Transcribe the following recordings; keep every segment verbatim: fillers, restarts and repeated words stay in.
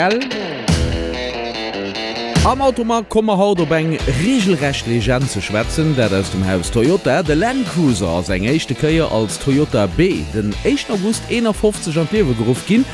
Am Automag komme mer haut op eng regelrecht Legend ze schwätzen, dat aus dem Haus Toyota. De Land Cruiser ass eng éischte Kéier als Toyota B den éischten August eenafofzeg an d'Liewe geruff ginn.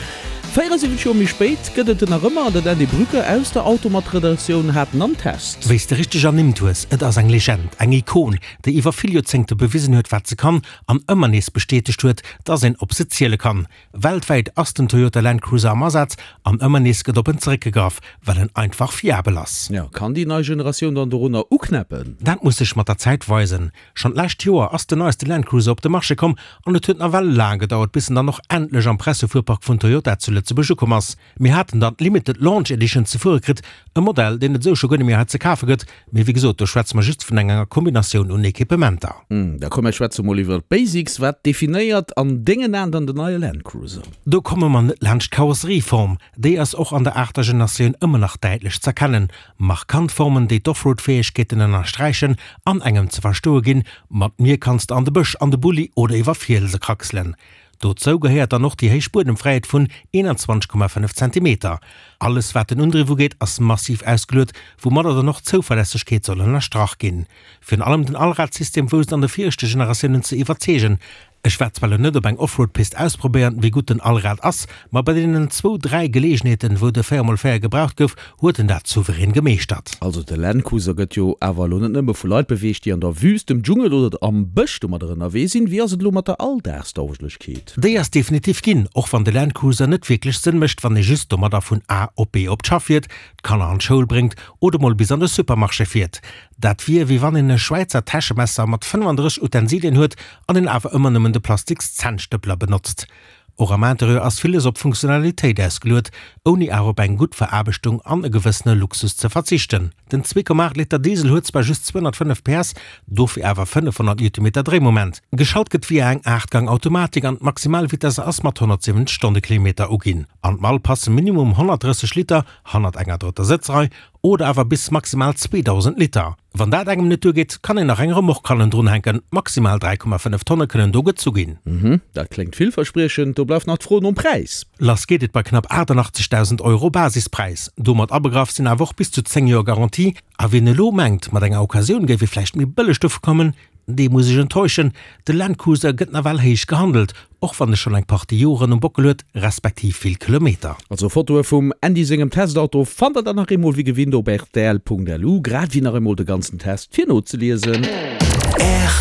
véierasiwwenzeg Joer méi spéit gëtt et en nach ëmmer an den Andy Brücker aus der Automag-Redaktioun hat en am Test. Wéi s de richteg ernimmt hues, et ass eng Legend, eng Ikon, déi iwwer vill Joerzéngte bewisen huet, wat se kann an ëmmer nees bestätegt huet, dass een op se ziele kann. Weltwäit ass den Toyota Land Cruiser am Asaz an ëmmer nees gëtt op en zeréckgegraff, well en einfach fiabel ass. Jo, kann déi nei Generatioun dann dorunner uknäppen? Dat muss sech mat der Zäit weisen. Schonn d'lescht Joer ass den neiste Land Cruiser op de Marché komm an et huet nawell laang gedauert, bis en dann och endlech am Pressefuerpark vun Toyota zu Lëtzebuerg ukomm ass. Mir haten dann d'Limited Launch Edition ze fuere kritt, e Modell, deen et esou scho guer net méi hei ze kafe gëtt, mee wéi gesot, do schwätze mer just vun enger Kombinatioun un Equipementer. Da komm, mir schwätze mol iwwer d'Basics. Wat definéiert an dengen Aen dann den neie Land Cruiser? Do komme mer net laanscht d'Karosserieform. Déi ass och an der aachter Generatioun ëmmer nach däitlech z'erkennen. Markant Formen, déi d'Offroad-Fäegkeeten ënnersträichen an engem ze verstoe ginn, Mat mir kanns de an de Bësch, an de Bulli oder iwwer Fielse kraxelen. Dozou gehéiert dann och déi héich Buedemfräiheet vun eenanzwanzeg Komma fënnef Zentimeter. Alles wat den Undriff ugeet ass massiv ausgeluet, woumadder dann och d'Zouverlässegkeet soll ënnerstrach ginn. Virun allem den Allradsystem wousst an de viregte Generatiounen ze iwwerzeegen. Ech war zwar lo net op eng Offroad-Pist ausprobéieren, wéi gutt den Allrad ass, ma bei deenen zwou, dräi Geleegenheeten, wou de véier mol véier gebraucht gouf, huet en dat souverän gemeeschtert. Also de Land Cruiser gëtt jo awer elo net nëmme vu Leit beweegt, déi an der Wüst, dem Dschungel oder am Bësch domadder ënnerwee sinn. Wéi ass et elo mat der Alldagstauglechkeet? Déi ass definitiv ginn, och wann de Land Cruiser net wierklech Sënn mécht, wann ee just domadder vun A op B op d'Schaff fiert, d'Kanner an d'Schoul bréngt oder mol bis an de Supermarché fiert. Dat wier wéi wann een e Schwäizer Täschemesser mat fënnefandrësseg Utensilien huet an een awer ëmmer nëmmen de plastiks Zännstëppler benotzt. Och am Interieur ass villes op Funktionalitéit ausgeluet, ouni awer op eng gutt Veraarbechtung an e gewëssene Luxus ze verzichten. Den zwee Komma aacht Liter Diesel huet zwar just zweehonnertfënnef P S, dofir awer fënnefhonnert Newtonmeter Dréimoment. Geschalt gëtt via eng Aachtgang-Automatik an d'Maximalvitesse ass mat honnertsiwwenzeg Stonnekilometer uginn. An d'Mall passe minimum honnertdrësseg Liter hannert enger drëtter Sëtzrei oder awer bis maximal zweedausend Liter. Wann dat engem net duergeet, kann een nach eng Remorque hannen drun hänken, maximal dräi Komma fënnef Tonne kënnen do gezu ginn. Mhm, dat kléngt villverspriechend. Do bleift nach d'Fro nom Präis. Lass geet et bei knapp aachtanachtzegdausend Euro Basispräis. Domat abegraff sinn awer och bis zu zéng Joer Garantie. A wien elo mengt, mat enger Occasioun géif ee vläicht méi bëlleg dovu kommen, dee muss ech enttäuschen, De Land Cruiser gëtt nawell héich gehandelt, och wann e schonn eng Partie Joren um Bockel huet, respektiv vill Kilometer. Also Fotoe vum Andy sengem Testauto fannt der dann nach eemol wéi gewinnt op rtl Punkt lu, grad wéi nach eemol de ganzen Test fir nozeliesen. R.